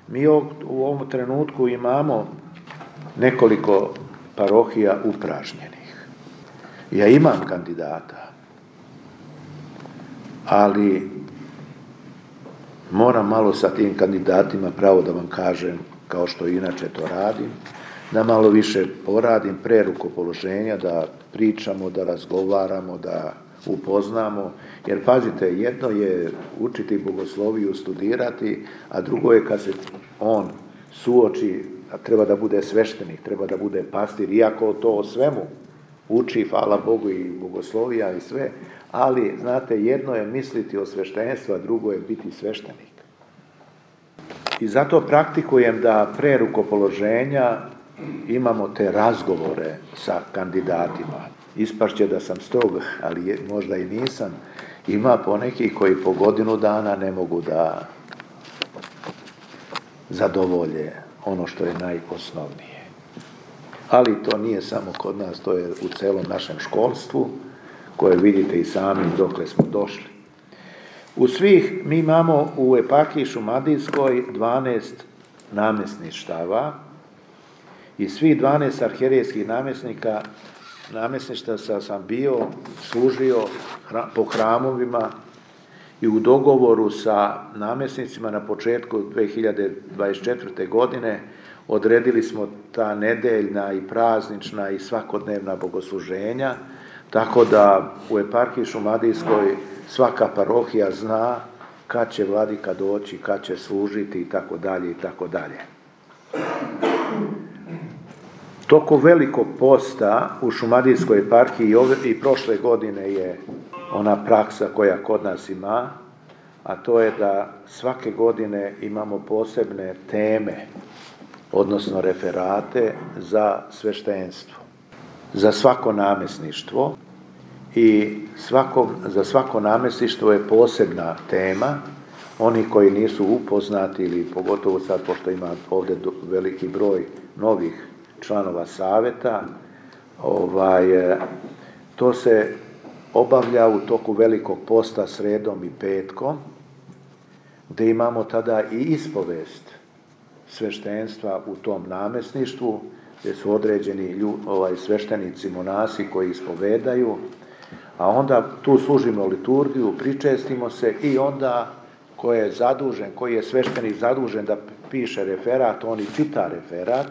Mi u ovom trenutku imamo nekoliko parohija upražnjenih. Ja imam kandidata, ali moram malo sa tim kandidatima, pravo da vam kažem, kao što inače to radim, da malo više poradim pre rukopoloženja, da pričamo, da razgovaramo, da upoznamo, jer pazite, jedno je učiti bogosloviju, studirati, a drugo je kad se on suoči, treba da bude sveštenik, treba da bude pastir, iako to o svemu uči, hvala Bogu, i bogoslovija i sve, ali, znate, jedno je misliti o sveštenstvu, a drugo je biti sveštenik. I zato praktikujem da pre rukopoloženja imamo te razgovore sa kandidatima. Ispašće da sam strog, ali možda i nisam. Ima poneki koji po godinu dana ne mogu da zadovolje ono što je najosnovnije. Ali to nije samo kod nas, to je u celom našem školstvu, koje vidite i sami dokle smo došli. Mi imamo u eparhiji Šumadijskoj 12 namjesništava i svih 12 arhijerejskih namjesništva sam bio, služio po hramovima i u dogovoru sa namjesnicima na početku 2024. godine odredili smo ta nedeljna i praznična i svakodnevna bogosluženja, tako da u eparhiji Šumadijskoj svaka parohija zna kad će vladika doći, kad će služiti i tako dalje i tako dalje. Toko velikog posta u Šumadijskoj eparhiji i prošle godine je ona praksa koja kod nas ima, a to je da svake godine imamo posebne teme, odnosno referate za sveštenstvo, za svako namjesništvo, i za svako namjesništvo je posebna tema. Oni koji nisu upoznati, ili pogotovo sad, pošto ima ovdje veliki broj novih članova savjeta, to se obavlja u toku velikog posta sredom i petkom, gdje imamo tada i ispovest sveštenstva u tom namjesništvu, gdje su određeni sveštenici, monasi koji ispovedaju, a onda tu služimo liturgiju, pričestimo se, i onda koji je sveštenik zadužen da piše referat, on i čita referat,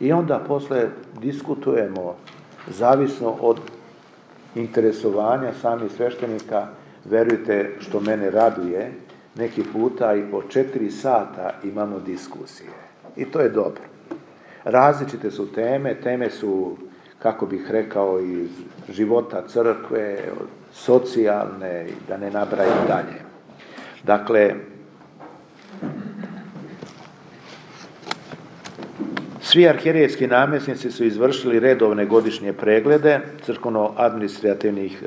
i onda posle diskutujemo, zavisno od interesovanja samih sveštenika. Verujte, što mene raduje, neki puta i po 4 sata imamo diskusije. I to je dobro. Različite su teme su, kako bih rekao, iz života crkve, socijalne, da ne nabrajam dalje. Dakle, svi arhijerejski namjesnici su izvršili redovne godišnje preglede administrativnih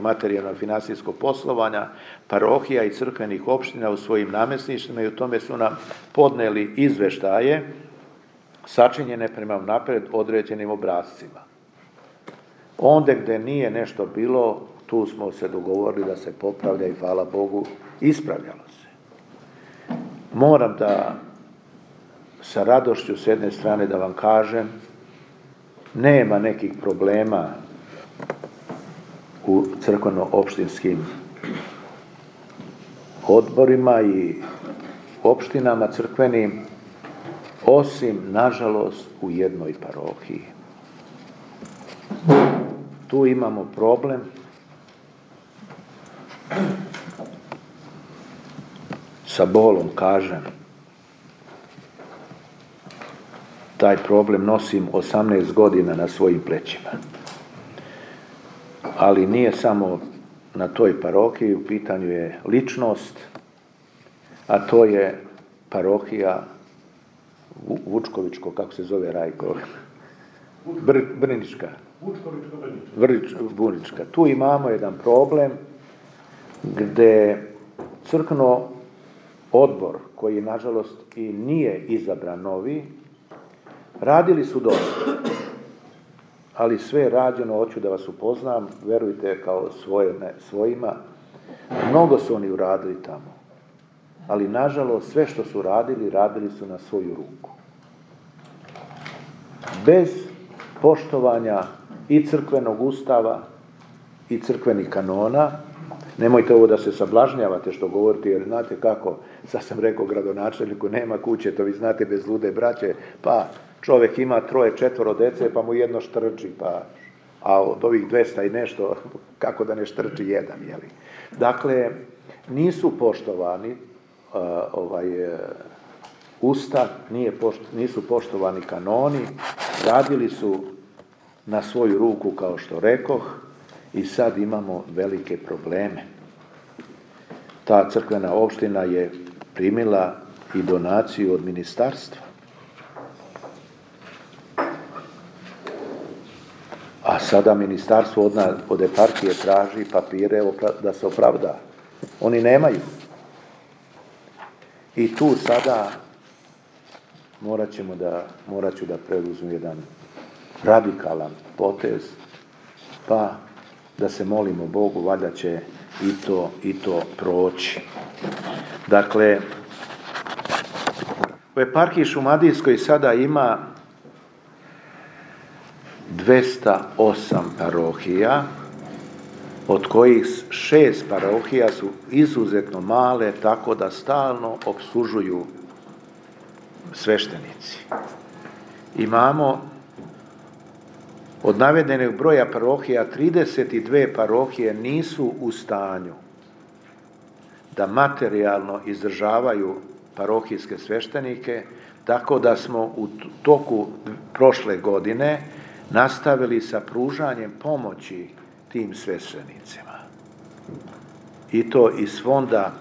materijalno financijskog poslovanja parohija i crkvenih opština u svojim namjesništvima, i u tome su nam podneli izveštaje sačinjene prema napred određenim obrascima. Onda gdje nije nešto bilo, tu smo se dogovorili da se popravlja, i hvala Bogu, ispravljalo se. Moram da sa radošću s jedne strane da vam kažem, nema nekih problema u crkveno-opštinskim odborima i opštinama crkvenim, osim, nažalost, u jednoj parohiji. Tu imamo problem sa bolom, kažem. Taj problem nosim 18 godina na svojim plećima. Ali nije samo na toj parohiji, u pitanju je ličnost, a to je parohija Vučkovičko, kako se zove, Rajko? Brnička. Brnička. Tu imamo jedan problem gde crkveno odbor, koji nažalost i nije izabran novi, radili su dosta, ali sve je rađeno, hoću da vas upoznam, verujte, kao svojima, mnogo su oni uradili tamo. ali nažalost sve što su radili, radili su na svoju ruku. Bez poštovanja i crkvenog ustava i crkvenih kanona. Nemojte ovo da se sablažnjavate što govorite, jer znate kako, sad sam rekao gradonačelniku, nema kuće, to vi znate bez lude braće, pa čovjek ima 3-4 dece, pa mu jedno štrči, a od ovih 200 i nešto, kako da ne štrči jedan, jeli? Dakle, nisu poštovani ustav, nisu poštovani kanoni, radili su na svoju ruku, kao što rekoh, i sad imamo velike probleme. Ta crkvena opština je primila i donaciju od ministarstva. A sada ministarstvo od eparhije traži papire da se opravda. Oni nemaju. I tu sada morat ću da preuzmu jedan radikalan potez, pa da se molimo Bogu, valjda će i to proći. Dakle, u eparhiji Šumadijskoj sada ima 208 parohija, od kojih 6 parohija su izuzetno male, tako da stalno opslužuju sveštenici. Imamo od navedenog broja parohija 32 parohije nisu u stanju da materijalno izdržavaju parohijske sveštenike, tako da smo u toku prošle godine nastavili sa pružanjem pomoći tim sveštenicima. I to iz fonda,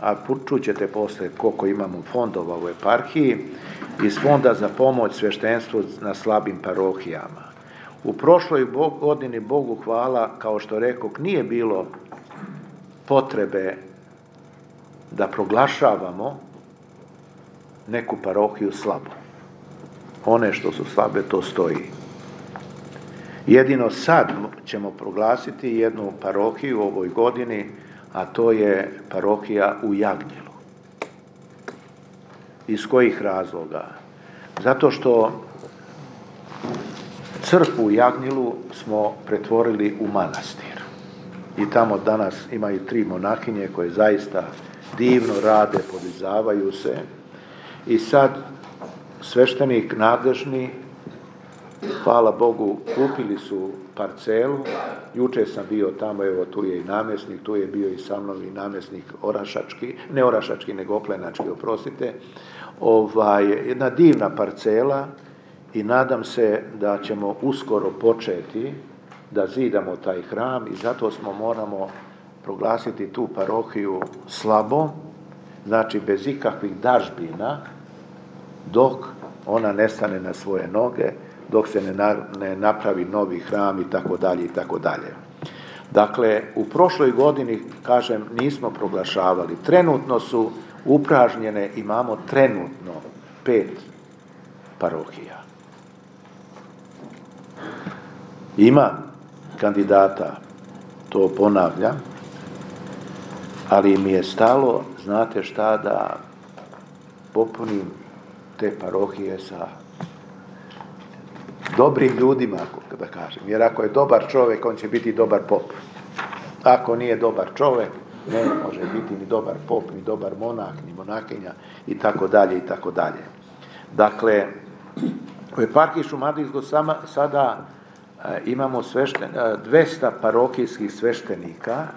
a čućete poslije koliko imamo fondova u eparhiji, iz fonda za pomoć sveštenstvu na slabim parohijama. U prošloj godini, Bogu hvala, kao što rekoh, nije bilo potrebe da proglašavamo neku parohiju slabo. One što su slabe, to stoji. Jedino sad ćemo proglasiti jednu parohiju u ovoj godini, a to je parohija u Jagnjelu. Iz kojih razloga? Zato što crkvu u Jagnjelu smo pretvorili u manastir. I tamo danas imaju 3 monahinje koje zaista divno rade, podizavaju se. I sad sveštenik nadležni, hvala Bogu, kupili su parcelu. Juče sam bio tamo, evo tu je i namjesnik, tu je bio i sa mnom i namjesnik orašački, ne orašački, nego oplenački, oprostite. Jedna divna parcela i nadam se da ćemo uskoro početi da zidamo taj hram i zato moramo proglasiti tu parohiju slabom, znači bez ikakvih dažbina, dok ona ne stane na svoje noge, dok se ne napravi novi hram i tako dalje i tako dalje. Dakle, u prošloj godini, kažem, nismo proglašavali. Trenutno su upražnjene, imamo trenutno 5 parohija. Ima kandidata, to ponavljam, ali mi je stalo, znate šta, da popunim te parohije sa dobrim ljudima, da kažem. Jer ako je dobar čovjek, on će biti dobar pop. Ako nije dobar čovjek, ne može biti ni dobar pop, ni dobar monah, ni monakinja i tako dalje i tako dalje. Dakle, u eparhiji Šumadijskoj sada imamo 200 parohijskih sveštenika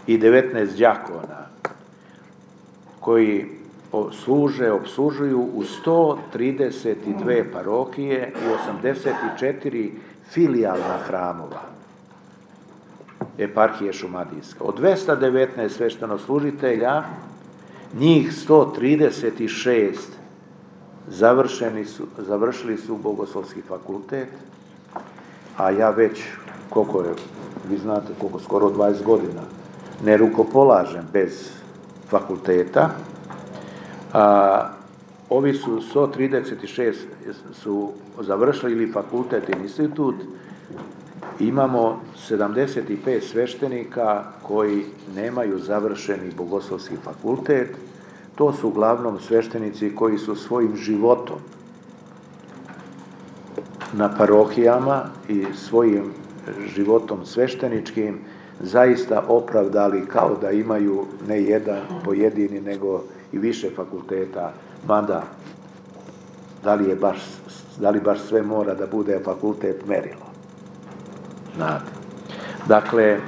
i 19 đakona koji opslužuju u 132 parohije i 84 filijalna hramova eparhije Šumadijska. Od 219 sveštenoslужitelja, njih 136 završili su Bogoslovski fakultet, a ja već, koliko je, vi znate koliko, skoro 20 godina, ne rukopolažem bez fakulteta. Ovi su 136 su završili ili fakultet ili institut. Imamo 75 sveštenika koji nemaju završeni Bogoslovski fakultet To su uglavnom sveštenici koji su svojim životom na parohijama i svojim životom svešteničkim zaista opravdali kao da imaju ne jedan pojedini nego i više fakulteta, mada da li baš sve mora da bude fakultet merilo. Znate. Dakle,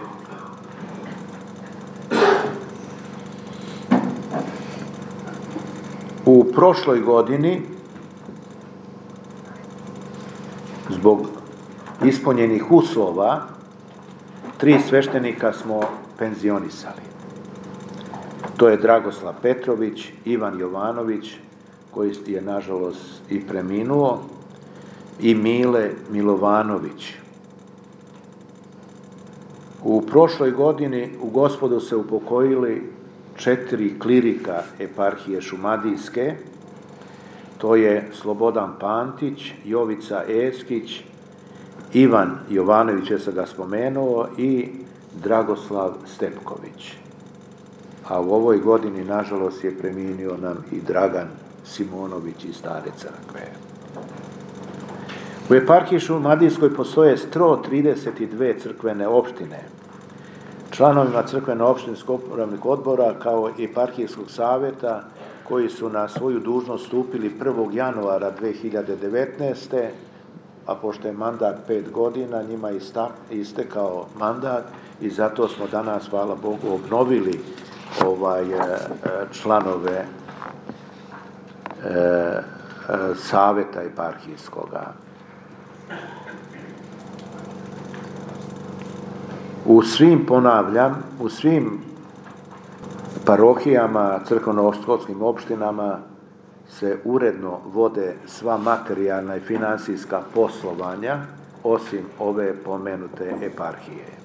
u prošloj godini zbog ispunjenih uslova 3 sveštenika smo penzionisali. To je Dragoslav Petrović, Ivan Jovanović, koji je nažalost i preminuo, i Mile Milovanović. U prošloj godini u Gospodu se upokojili 4 klirika eparhije Šumadijske, to je Slobodan Pantić, Jovica Eskić, Ivan Jovanović, ja sam ga spomenuo, i Dragoslav Stepković. A u ovoj godini, nažalost, je preminio nam i Dragan Simonović iz Stare crkve. U eparhiji Šumadijskoj postoje 132 crkvene opštine. Članovima crkveno-opštinskog upravnih odbora kao i eparhijskog savjeta koji su na svoju dužnost stupili 1. januara 2019. a pošto je mandat 5 godina, njima je istekao mandat i zato smo danas, hvala Bogu, obnovili članove savjeta eparhijskoga. U svim parohijama, crkveno-školskim opštinama se uredno vode sva materijalna i financijska poslovanja, osim ove pomenute eparhije.